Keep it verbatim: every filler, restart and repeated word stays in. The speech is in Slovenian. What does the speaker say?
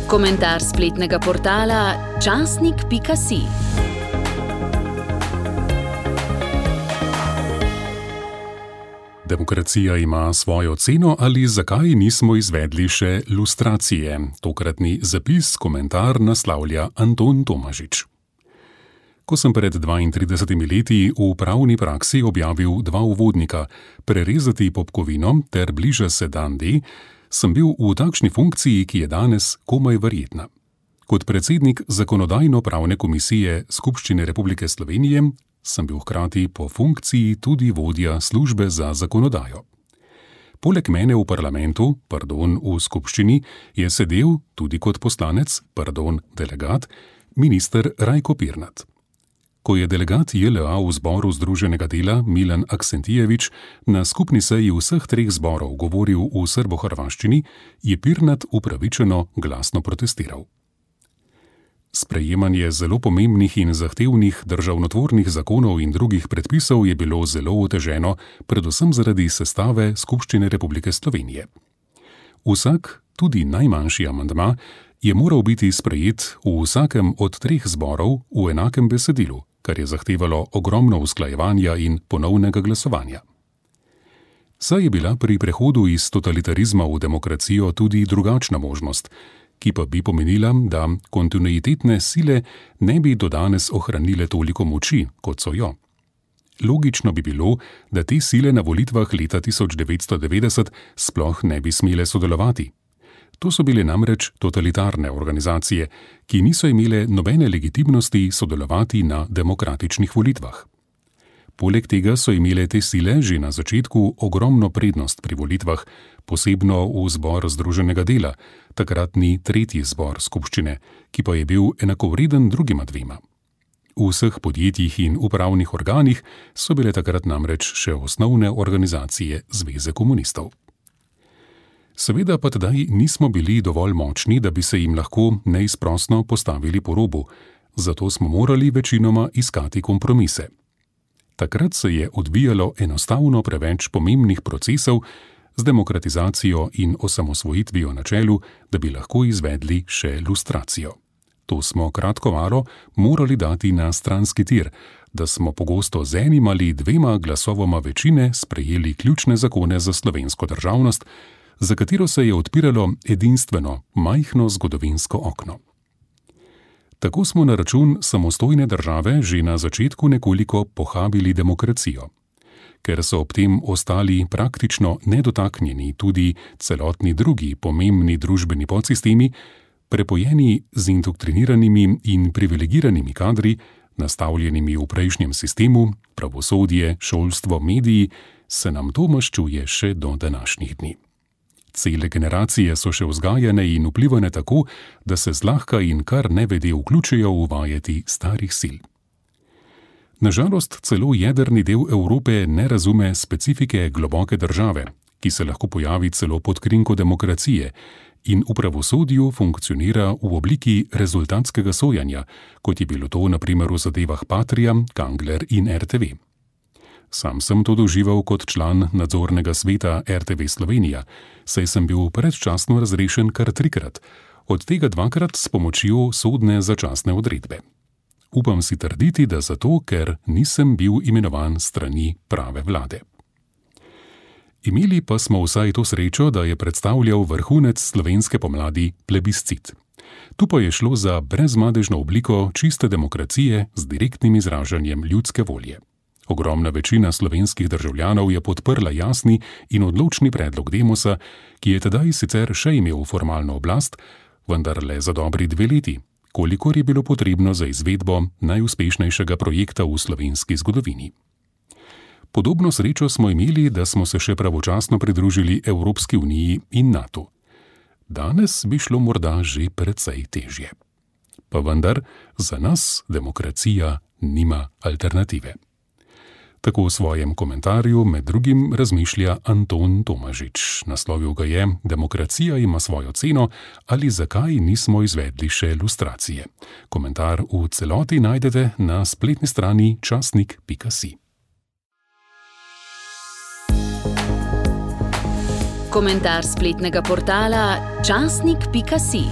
Komentar spletnega portala časnik pika si. Demokracija ima svojo ceno ali zakaj nismo izvedli še lustracije? Tokratni zapis, komentar naslavlja Anton Tomažič. Ko sem pred dvaintridesetimi leti v pravni praksi objavil dva uvodnika, Prerezati popkovino ter Bliža se dan D, sem bil v takšni funkciji, ki je danes komaj verjetna. Kot predsednik Zakonodajno-pravne komisije Skupščine Republike Slovenije sem bil hkrati po funkciji tudi vodja službe za zakonodajo. Poleg mene v parlamentu, pardon, v skupščini, je sedel tudi kot poslanec, pardon, delegat, minister Rajko Pirnat. Ko je delegat J L A v zboru Združenega dela Milan Aksentijevič na skupni seji vseh treh zborov govoril v srbohrvaščini, je Pirnat upravičeno glasno protestiral. Sprejemanje zelo pomembnih in zahtevnih državnotvornih zakonov in drugih predpisov je bilo zelo oteženo, predvsem zaradi sestave Skupščine Republike Slovenije. Vsak, tudi najmanjši amandma, je moral biti sprejet v vsakem od treh zborov v enakem besedilu, kar je zahtevalo ogromno usklajevanja in ponovnega glasovanja. Saj je bila pri prehodu iz totalitarizma v demokracijo tudi drugačna možnost, ki pa bi pomenila, da kontinuitetne sile ne bi do danes ohranile toliko moči, kot so jo. Logično bi bilo, da te sile na volitvah leta tisoč devetsto devetdeset sploh ne bi smele sodelovati. To so bile namreč totalitarne organizacije, ki niso imele nobene legitimnosti sodelovati na demokratičnih volitvah. Poleg tega so imele te sile že na začetku ogromno prednost pri volitvah, posebno v zbor Združenega dela, takratni tretji zbor skupščine, ki pa je bil enakovreden drugima dvema. V vseh podjetjih in upravnih organih so bile takrat namreč še osnovne organizacije Zveze komunistov. Seveda pa tedaj nismo bili dovolj močni, da bi se jim lahko neizprosno postavili po robu, zato smo morali večinoma iskati kompromise. Takrat se je odvijalo enostavno preveč pomembnih procesov z demokratizacijo in osamosvojitvijo na čelu, da bi lahko izvedli še lustracijo. To smo kratko malo morali dati na stranski tir, da smo pogosto z enim ali dvema glasovoma večine sprejeli ključne zakone za slovensko državnost, za katero se je odpiralo edinstveno, majhno zgodovinsko okno. Tako smo na račun samostojne države že na začetku nekoliko pohabili demokracijo. Ker so ob tem ostali praktično nedotaknjeni tudi celotni drugi pomembni družbeni podsistemi, prepojeni z indoktriniranimi in privilegiranimi kadri, nastavljenimi v prejšnjem sistemu, pravosodje, šolstvo, mediji, se nam to maščuje še do današnjih dni. Cele generacije so še vzgajane in vplivane tako, da se zlahka in kar nevede vključijo v vajeti starih sil. Nažalost, celo jedrni del Evrope ne razume specifike globoke države, ki se lahko pojavi celo pod krinko demokracije in v pravosodju funkcionira v obliki rezultatskega sojanja, kot je bilo to na primer v zadevah Patria, Kangler in R T V. Sam sem to doživel kot član nadzornega sveta R T V Slovenija, saj sem bil predčasno razrešen kar trikrat, od tega dvakrat s pomočjo sodne začasne odredbe. Upam si trditi, da zato, ker nisem bil imenovan strani prave vlade. Imeli pa smo vsaj to srečo, da je predstavljal vrhunec slovenske pomladi plebiscit. Tu pa je šlo za brezmadežno obliko čiste demokracije z direktnim izražanjem ljudske volje. Ogromna večina slovenskih državljanov je podprla jasni in odločni predlog Demosa, ki je tedaj sicer še imel formalno oblast, vendar le za dobri dve leti, kolikor je bilo potrebno za izvedbo najuspešnejšega projekta v slovenski zgodovini. Podobno srečo smo imeli, da smo se še pravočasno pridružili Evropski uniji in NATO. Danes bi šlo morda že precej težje. Pa vendar, za nas demokracija nima alternative. Tako v svojem komentarju med drugim razmišlja Anton Tomažič. Naslovil ga je Demokracija ima svojo ceno ali zakaj nismo izvedli še lustracije. Komentar v celoti najdete na spletni strani časnik pika si. Komentar spletnega portala časnik pika si.